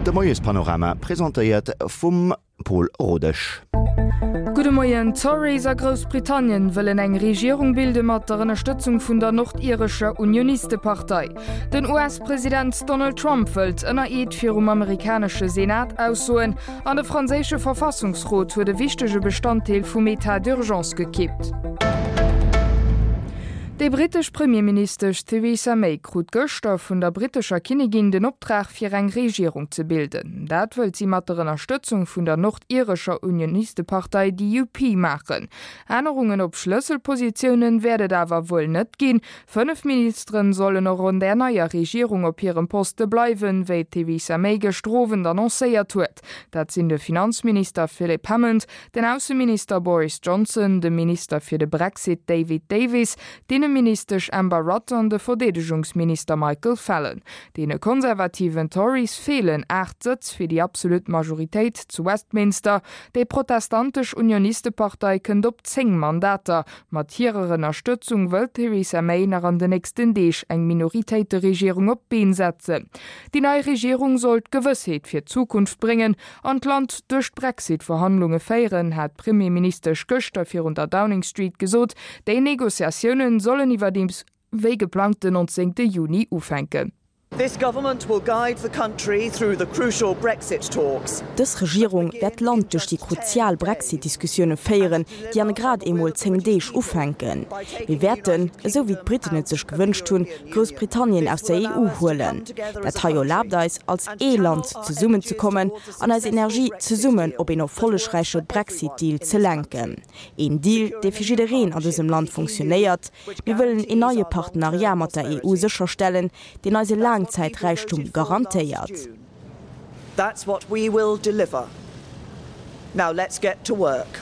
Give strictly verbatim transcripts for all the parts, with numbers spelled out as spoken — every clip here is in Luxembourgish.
De Moiespanorama presentéiert vum Paul Rodesch. Gudde Moien, D'Tories a Groussbritannien wëllen eng Regierung bilde mat der Ënnerstëtzung vun der nordirescher Unionistepartei. Den U S-President Donald Trump wëllt ënner Eed virum amerikanesche Senat aussoen an de franséische Verfassungsrot huet e wichtege Bestanddeel vum État d'urgence gekippt. Déi britesch Premierministesch Theresa May krut gëschter vun der britescher Kinnigin den Optrag fir eng Regierung ze bilden. Dat wëllt si mat der Ënnerstëtzung vun der nordirescher Unionistepartei D U P maachen. Ännerungen op Schlësselpositiounen wäert et awer wuel net ginn. Fënnef Ministeren sollen och an der neier Regierung op hirem Poste bleiwen, wéi d'Theresa May gëschter Owend annoncéiert huet. Dat sinn de Finanzminister Philip Hammond, den Ausseminister Boris Johnson, de Minister fir de Brexit David Davis, d'Inneministesch Amber Rudd an de Verdeedegungsminister Michael Fallon. Deene konservativen Tories feelen aacht Sëtz fir déi absolut Majoritéit zu Westminster. Déi protestantesch Unionistepartei kënnt op zéng Mandater. Mat hirer Ënnerstëtzung wëllt d'Theresa May nach an den nächsten Deeg eng Minoritéiteregierung op d'Been setzen. Déi nei Regierung soll Gewëssheet fir d'Zukunft bréngen an d'Land duerch d'Brexit-Verhandlunge féieren, hat d'Premierministesch gëschter virun der Downing Street gesot. Déi Negociatiounen sollen iwwerdeems wéi geplangt den nonzéngte Juni ufänken. This government will guide the country through the crucial Brexit talks. Dës Regierung wäert d'Land duerch déi kruzial Brexit-Diskussioune féieren, déi an grad emol zéng Deeg ufänken. Mir wäerten, esou wéi d'Britten et sech gewënscht hunn, Groussbritannien aus der E U huelen. Dat hei erlaabt eis, als ee Land zesummenzekommen an eis Energie zesummen op een erfollegräiche Brexit-Deal ze lenken. Een Deal, dee fir jiddereen an dësem Land funktionéiert. Mir wëllen een neie Partenariat mat der E U sécherstellen, deen eise Laangzäiträichtum garantéiert. That's what we will deliver. Now let's get to work.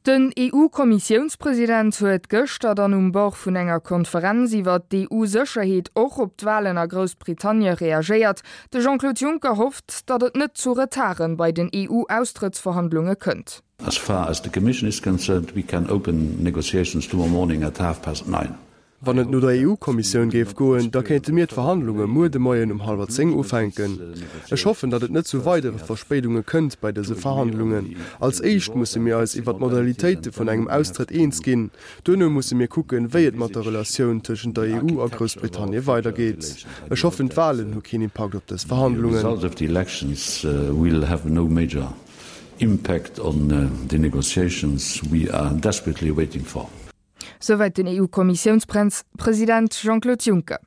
Den E U-Kommissiounspresident huet gëschter dann um Bord vun enger Konferenz iwwer d'E U-Sécherheet och op d'Walen a Groussbritannie reagéiert. De Jean-Claude Juncker hofft, datt et net zu Retarden bei den E U-Austrëttsverhandlunge kënnt. As far as the Commission is concerned, we can open negotiations tomorrow morning at half past nine. Wann et no der E U-Kommissioun géif goen, da kéinte mir d'Verhandlunge muer de Moien um hallwer zéng ufänken. Ech hoffen, datt et net zu weidere Verspéidunge kënnt bei dëse Verhandlungen. Als éischt musse mir eis iwwer d'Modalitéite vun engem Austrëtt eens ginn. Duerno musse mir kucken, wéi et mat der Relatioun tëschent der E U a Groussbritannie weidergeet. Ech hoffen, d'Walen hu keen Impakt op dës The Verhandlungen. Result of the elections uh, will have no major impact on uh, the negotiations we are desperately waiting for. Souwäit den E U-Kommissiounspresident Jean-Claude Juncker.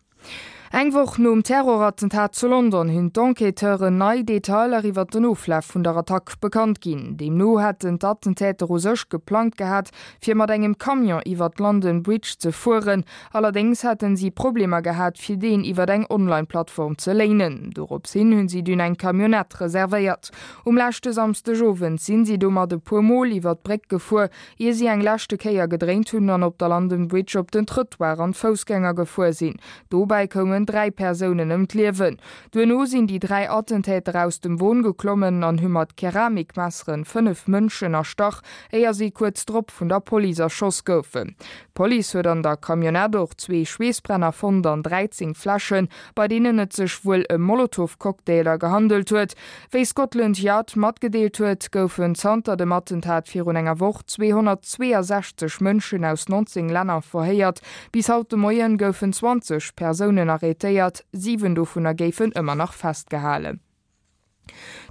Eng Woch nom Terrorattentat zu London hunn d'Enquêteuren nei Detailer iwwer den Oflaf vun der Attack bekannt ginn. Deemno hätten d'Attentäter u sech geplangt gehat, fir mat engem Camion iwwer d'London Bridge ze fueren. Allerdéngs hätten si Problemer gehat, fir deen iwwer eng Online-Plattform ze léinen. Doropshin hunn si dunn eng Camionnette reservéiert. Um leschte Samschdegowend sinn si domat e puer Mol iwwer d'Bréck gefuer, ier si eng leschte Kéier gedréint hunn an op der London Bridge op den Trëttoir an Foussgänger gefuer sinn. Dobäi koumen dräi Persounen ëm d'Liewen. Duerno sinn déi dräi Attentäter aus dem Won geklommen an hu mat Keramikmesseren fënnef Mënschen erstach, éier si kuerz drop vun der Police erschoss goufen. D'Police huet an der Camionnette och zwee Schweessbrenner fonnt an dräizéng Fläschen, bei deenen et sech wuel ëm Molotow-Cocktailer gehandelt huet. Wéi Scotland Yard matgedeelt huet, goufen zanter dem Attentat virun enger Woch zweehonnertzweeasechzeg Mënschen aus nonzéng Länner verhéiert. Bis haut de Moien goufen zwanzeg Persounen arrétéiert, siwen dovunner géifen ëmmer nach festgehalen.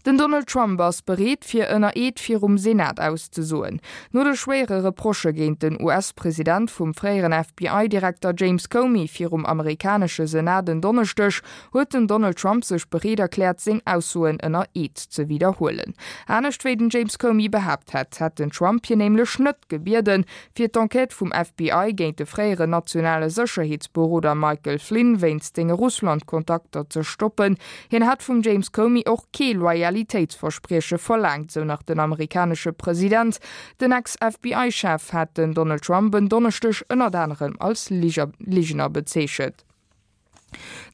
Den Donald Trump ass bereet fir ënner Eed virum Senat auszesoen. No de schwéiere Reprochë géint den U S-President vum fréieren F B I-Direkter James Comey virum amerikanesche Senat en Donneschdeg huet den Donald Trump sech bereet erkläert seng Aussoen ënner Eed ze widderhuelen. Anescht wéi den James Comey behaapt hat, hätt den Trump hien nämlech net gebieden, fir d'Enquête vum F B I géint de fréieren nationale Sécherheetsberoder Michael Flynn wéinst senge Russland-Kontakter ze stoppen. Hien hätt vum James Comey och kee Loyalitéitsversprieche verlaangt, sou nach den amerikanesche President. Den Ex-F B I-Chef hat den Donald Trump en Donneschdeg ënnert anerem als Ligener bezeechent.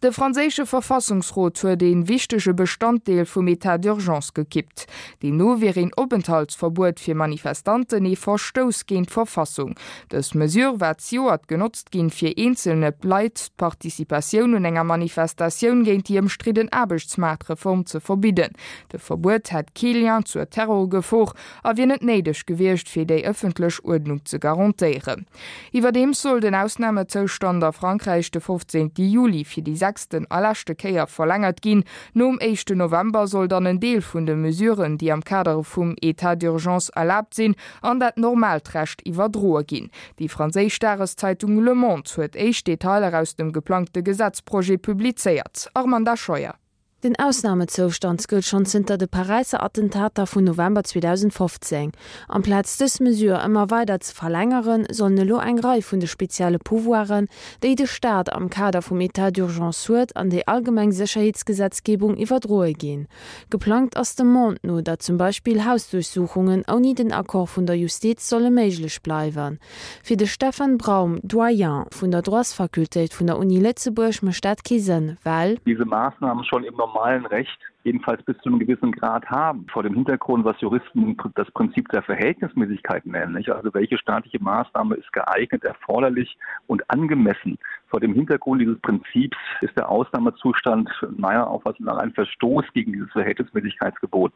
De franséische Verfassungsrot huet een wichtege Bestanddeel vum État d'urgence gekippt. Deemno wier een Openthaltsverbuet fir Manifestanten ee Verstouss géint d'Verfassung. Dës Mesure war zejoert genotzt ginn, fir eenzelne Leit d'Participatioun un enger Manifestatioun géint déi ëmstridden Aarbechtsmaartreform ze verbidden. De Verbuet hätt kee Lien zur Terrorgefor a wier net néideg gewiescht, fir déi ëffentlech Uerdnung ze garantéieren. Iwwerdeems soll den Ausnamezoustand a Frankräich de fofzéngte Juli fir déi sechsten a leschte Kéier verlängert ginn. Nom éischten November soll dann en Deel vun de Mesuren, déi am Kader vum État d'urgence erlaabt sinn, an dat normaalt Recht iwwerdroe ginn. Déi franséisch Dageszeitung Le Monde huet éischt Detailer aus dem geplangte Gesetzprojet publizéiert. Armanda Scheuer. Den Ausnamezoustand gëllt schonn zënter de Paräisser Attentater vun November zweedausendfofzéng. Amplaz dës Mesure ëmmer weider ze verlängeren, sollen elo eng Rei vun de spezielle Pouvoiren, déi de Staat am Kader vum État d'urgence huet, an déi allgemeng Sécherheetsgesetzgebung iwwerdroe ginn. Geplangt ass dem Monde no, datt zum Beispill Hausduerchsuchungen ouni den Accord vun der Justiz solle méiglech bleiwen. Fir de Stefan Braum, Doyen vun der Droitsfakultéit vun der Uni Lëtzebuerg, mécht dat kee Sënn, well. Diese Maßnahmen schon im normalen Recht jedenfalls bis zu einem gewissen Grad haben. Vor dem Hintergrund, was Juristen das Prinzip der Verhältnismäßigkeit nennen, nicht? Also welche staatliche Maßnahme ist geeignet, erforderlich und angemessen. Vor dem Hintergrund dieses Prinzips ist der Ausnahmezustand meiner Auffassung nach ein Verstoß gegen dieses Verhältnismäßigkeitsgebot,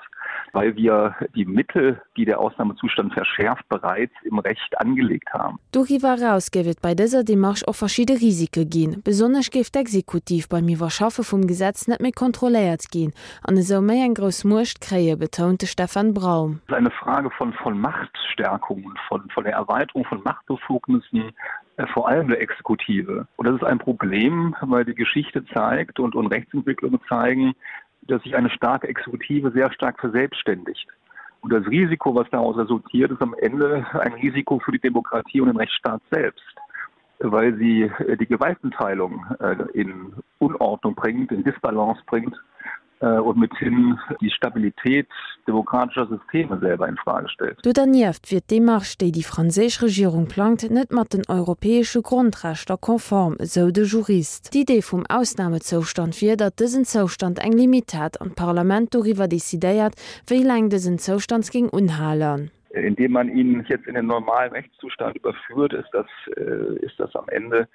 weil wir die Mittel, die der Ausnahmezustand verschärft, bereits im Recht angelegt haben. Doriwwer eraus géif et bei dëser Demarche och verschidde Risike ginn. Besonnesch géif d'Exekutiv beim Iwwerschaffe vum Gesetz net méi kontrolléiert ginn an esou méi eng grouss Muecht kréien, betount de Stefan Braum. Es ist eine Frage von von Machtstärkung, von von der Erweiterung von Machtbefugnissen, vor allem der Exekutive. Und das ist ein Problem, weil die Geschichte zeigt und und Rechtsentwicklungen zeigen, dass sich eine starke Exekutive sehr stark verselbstständigt. Und das Risiko, was daraus resultiert, ist am Ende ein Risiko für die Demokratie und den Rechtsstaat selbst, weil sie die Gewaltenteilung in Unordnung bringt, in Disbalance bringt und mithin die Stabilität demokratischer Systeme selber in Frage stellt. Do dernieft wier d'Demarche, déi déi franséisch Regierung plangt, net mat den europäesche Grondrechter konform, esou de Jurist. D'Idee vum Ausnamezoustand wier, datt dësen Zoustand eng Limitt hätt an d'Parlament doriwwer decidéiert, wéi laang dësen Zoustand géing unhalen. Indem man ihn jetzt in den normalen Rechtszustand überführt, ist das, ist das am Ende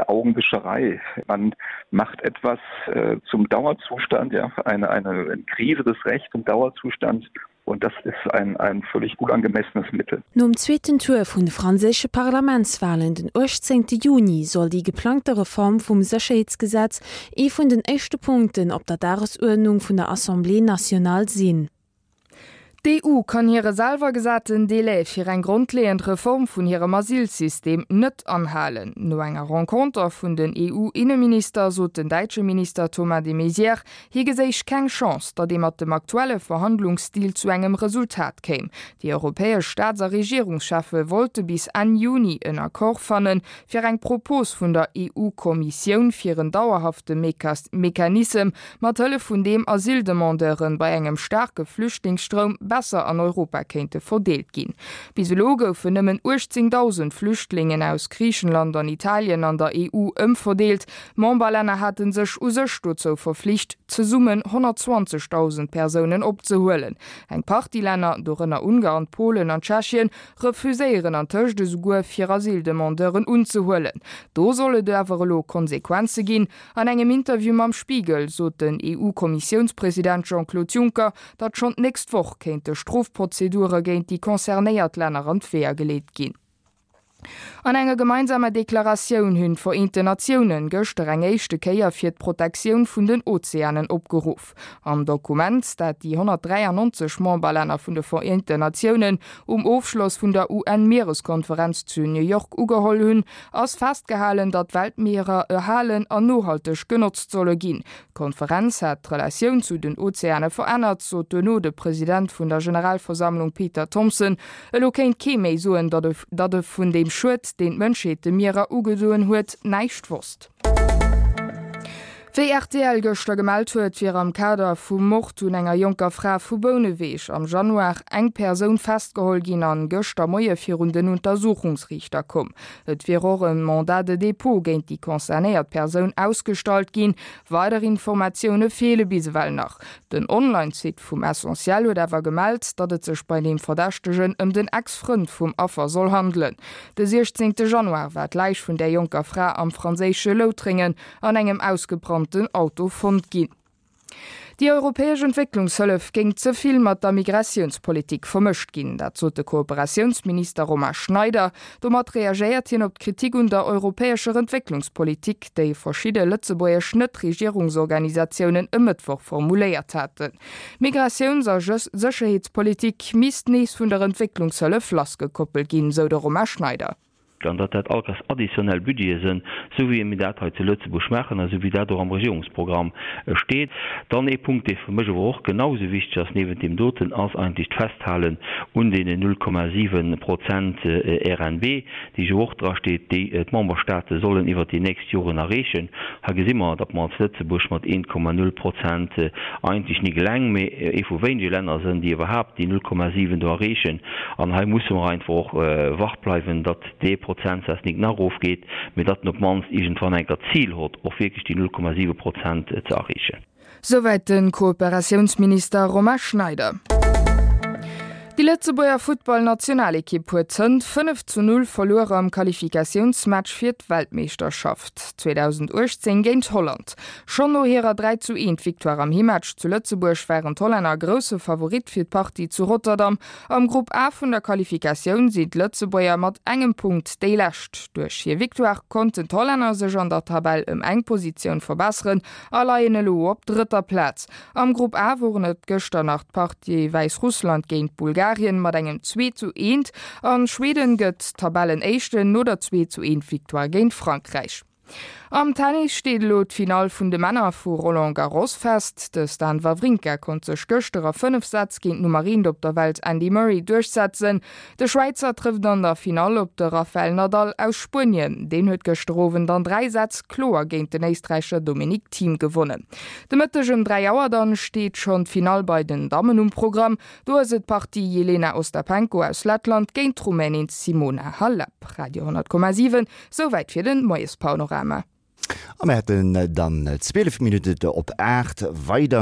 Augenwischerei. Man macht etwas zum Dauerzustand, ja, eine, eine Krise des Rechts zum Dauerzustand und das ist ein, ein völlig unangemessenes Mittel. Nom zweeten Tour vun de franséische Parlamentswalen den uechtzéngte Juni soll déi geplangte Reform vum Sécherheetsgesetz ee vun den éischte Punkten op der Dagesuerdnung vun der Assemblée nationale sinn. D'EU kann hire selwer gesaten Delai fir eng grondleeënd Reform vun hirem Asylsystem net anhalen. No enger Renconter vun den E U-Inneminister sot den däitsche Minister Thomas de Maizière, hie geséich keng Chance, datt ee mat dem aktuelle Verhandlungsstil zu engem Resultat kéim. Déi europäesch Staats a Regierungscheffe wollte bis Enn Juni en Accord fannen, fir eng Propos vun der E U-Kommissioun fir en dauerhafte Mechanissem, mat Hëllef vun deem Asyldemandeuren bei engem staarke Flüchtlingsstroum besser an Europa kéinte verdeelt ginn. Bis elo goufen nëmmen uechtzéngdausend Flüchtlingen aus Griichenland an Italien an der E U ëmverdeelt. D'Memberlänner hate sech u sech dozou verflicht, zesummen honnertzwanzegdausend Persounen opzehuelen. Eng Partie Länner, dorënner Ungarn, Polen an Tschechien, refuséieren antëscht esouguer fir Asyldemandeuren unzehuelen. Do soll et awer elo Konsequenze ginn. An engem Interview mam Spiegel sot den E U-Kommissiounspresident Jean-Claude Juncker, datt schonn d'nächst Woch kéinte Strofprozedure géint déi concernéiert Länner an d'Weeër geleet ginn. An enger gemeinsamer Deklaratioun hunn d'Vereenten Natiounen gëschter eng éischte Kéier fir d'Protektioun vun den Ozeanen opgeruff. Am Dokument, dat déi honnertdräiannonzeg Memberlänner vun de Vereenten Natiounen um Ofschloss vun der U N-Miereskonferenz zu New York ugeholl hunn, ass festgehalen, datt d'Weltmierer erhalen an nohalteg genotzt solle ginn. D'Konferenz hätt d'Relatioun zu den Ozeane verännert, sot duerno de President vun der Generalversammlung Peter Thomson. Elo kéint kee méi soen, datt e vun deem Schued, deen d'Mënschheet de Mierer ugedoen huet, näischt wosst. Wéi rtl gëschter gemellt huet, wier am Kader vum Mord un enger jonker Fra vu Bouneweg am Januar eng Persoun festgeholl ginn an gëschter Moie virun den Untersuchungsriichter komm. Et wier och e Mandat de dépôt géint déi concernéiert Persoun ausgestallt ginn. Weider Informatioune feele bis ewell nach. Den Online-Site vum Essentiel huet awer gemellt, datt et sech bei deem Verdächtegen ëm den Ex-Frënd vum Affer soll handelen. De siechzéngte Januar war d'Läich vun där jonker Fra am franséische Loutrengen an engem ausgebrannten Auto fonnt ginn. Déi europäesch Entwécklungshëllef géing ze vill mat der Migratiounspolitik vermëscht ginn. Dat sot de Kooperatiounsminister Romain Schneider. Domat reagéiert hien op d'Kritik un der europäescher Entwécklungspolitik, déi verschidde lëtzebuergesch Net-Regierungsorganisatiounen e Mëttwoch formuléiert haten. D'Migratiouns a Sécherheetspolitik misst nees vun der Entwécklungshëllef lassgekoppelt ginn, sou de Romain Schneider. an datt dat allkéiers additionnel Budgete sinn, esou wéi mir dat hei zu Lëtzebuerg maachen a esou wéi dat och am Regierungsprogramm steet. Dann ee Punkt, dee fir mech awer och genau esou wichteg ass niewent deem doten, ass eigentlech d'Festhalen un deenen null Komma siwe Prozent R N B, déi jo och drasteet, déi d'Memberstate sollen iwwert déi nächst Joren erreechen. Hei gesi mer, datt mer als Lëtzebuerg mat eent Komma null Prozent eigentlech nik eleng, mee ee vu wéinege Länner sinn, déi iwwerhaapt déi null Komma siwen do erreechen. An hei musse mer einfach och wach bleiwen, datt dee Prozentsaz nik nach erofgeet, mee datt en op d'mannst iergendwann eng Kéier d'Zil hott, och wierklech déi null Komma siwe Prozent ze erreechen. Souwäit de Kooperatiounsminister Romain Schneider. Déi Lëtzebuerger Futtballnationalekipp huet hënt fënnef zu null verluer am Qualifikatiounsmatch fir d'Weltmeeschterschaft zweedausenduechtzéng géint Holland. Schonn no hirer dräi zu eent Victoire am Himmatch zu Lëtzebuerg waren d'Hollänner grousse Favorit fir d'Partie zu Rotterdam. Am Grupp A vun der Qualifikatioun sinn d'Lëtzebuerger mat engem Punkt déi Lescht. Duerch hir Victoire konnten d'Hollänner sech an der Tabell ëm eng Positioun verbesseren a leien elo op drëtter Plaz. Am Grupp A woren et gëschter nach d'Partie Wäissrussland géint Bulgarien mat engem zwee zu eent an Schweden gëtt Tabellenéischten no der zwee zu eent Victoire géint Frankräich. Am Tennis steet elo d'Finall vun de Männer vu Roland Garros fest. De Stan Wawrinka konnt sech gëschter a fënnef Sätz géint d'Nummer eent op der Welt Andy Murray duerchsetzen. De Schwäizer trëfft an der Finall op de Rafael Nadal aus Spuenien. Deen huet gëschter Owend an dräi Sätz kloer géint den Éisträicher Dominic Thiem gewonnen. De Mëtteg ëm dräi Auer dann steet schonn d'Finall bei den Dammen um Programm. Do ass et d'Partie Jelena Ostapenko aus Lettland géint d'Rumänin Simona Halep. Radio honnert Komma siwen, Souwäit fir den Moiespanorama. A mir hätten dann zwielef Minutten op aacht. Weider.